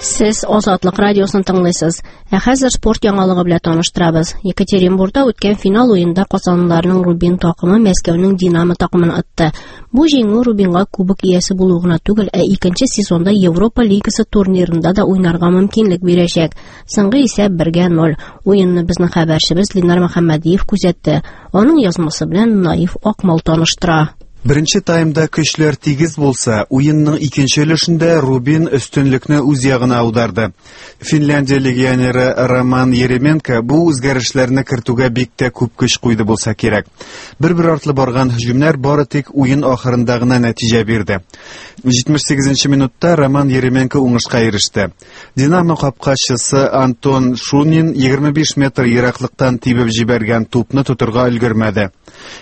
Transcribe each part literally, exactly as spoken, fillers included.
Сез Азатлык радиосын тыңлыйсыз. Ә хәзер спорт яңалыгы белән таныштырабыз. Екатеринбургта үткән финал уенда казанлыларның Рубин такымы Мәскәүнең Динамо такымын отты. Бу җиңү Рубинга кубок иясе булу гына түгел, ә икенче сезонда Европа лигасы турнирында да уйнарга мөмкинлек бирәчәк. Соңгы исәп бергә ноль. Уенны безнең хәбәрчебез Ленар Мөхәммәдиев күзәтте. Аның язмасы белән Наиф Акмал таныштыра. Беренче таймда көчләр тигез булса, уенның икенче өлешендә Рубин өстенлекне үз ягына аударды. Финляндия легионеры Роман Еременко бу үзгәрешләрне кертүгә бик тә күп көч куйды булса кирәк. Бер-бер артлы барган һөҗүмнәр бары тик уен ахырында гына нәтиҗә бирде. җитмеш сигезенче минутта Роман Еременко уңышка иреште. Динамо капкачысы Антон Шунин егерме биш метр ераклыктан тибеп җибәргән тупны тотырга өлгермәде.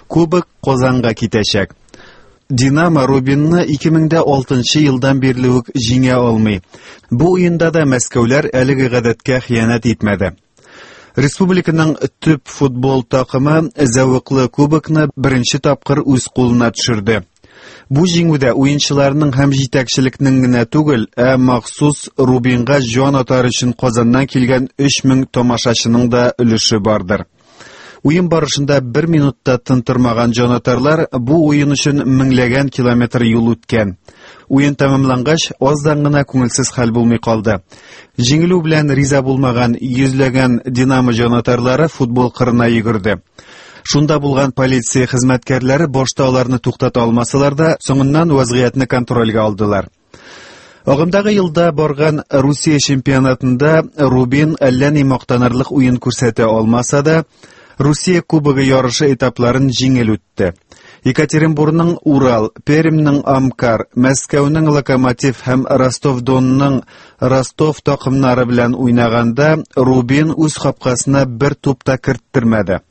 Кубок Казанга китәчәк. Динамо Рубинны ике мең дә алтынчы елдан бирле үк җиңә алмый. Бу уенда да мәскәүләр әлеге гадәткә хыянәт итмәде. Республиканың төп футбол такымы зәвыклы кубокны беренче тапкыр үз кулына төшерде. Бу җиңүдә уенчыларның һәм җитәкчелекнең генә түгел, ә махсус Рубинга җан атар өчен Казаннан килгән өч мең тамашачының да өлеше бардыр. Уен барышында бер минутта тын тормаган җанатарлар бу уен өчен меңләгән километр юл үткән. Уен тәмамлангач, аздан гына күңелсез хәл булмый калды. Җиңелү белән риза булмаган йөзләгән Динамо җанатарлары футбол кырына йөгерде. Шунда булган полиция хезмәткәрләре башта аларны туктата алмасалар да, соңыннан вазгыятьне контрольгә алдылар. Агымдагы елда барган Русия чемпионатында Рубин әллә ни мактанырлык уен күрсәтә алмаса да, Русия кубогы ярышы этапларын җиңел үтте. Екатеринбургның Урал, Пермьнең Амкар, Мәскәүнең Локомотив һәм Ростов-Донның Ростов такымнары белән уйнаганда Рубин үз капкасына бер туп та керттермәде.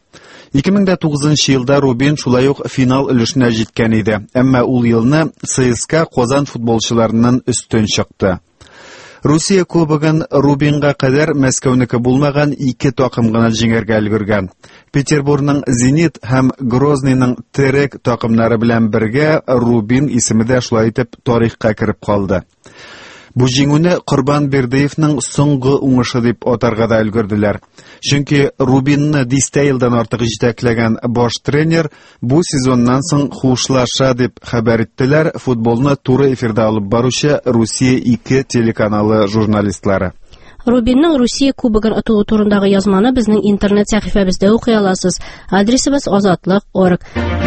Ике мең дә тугызынчы елда Рубин шулай ук финал өлешенә җиткән иде, әмма ул елны ЦСКА Казан футболчыларыннан өстен чыкты. Русия кубогын Рубинга кадәр Мәскәүнеке булмаган ике такым гына җиңәргә өлгергән. Петербургның Зенит һәм Грозныйның Терек такымнары белән бергә Рубин исеме дә шулай итеп тарихка кереп калды. Бу җиңүне Корбан Бердыевның соңгы уңышы дип атарга да өлгерделәр. Чөнки Рубинны дистә елдан артык җитәкләгән баш тренер бу сезоннан соң хушлаша дип хәбәр иттеләр футболны туры эфирда алып баручы Русия ике телеканалы журналистлары. Рубинның Русия кубогын отуы турындагы язманы безнең интернет сәхифәбездә укый аласыз. Адресыбыз азатлык орг.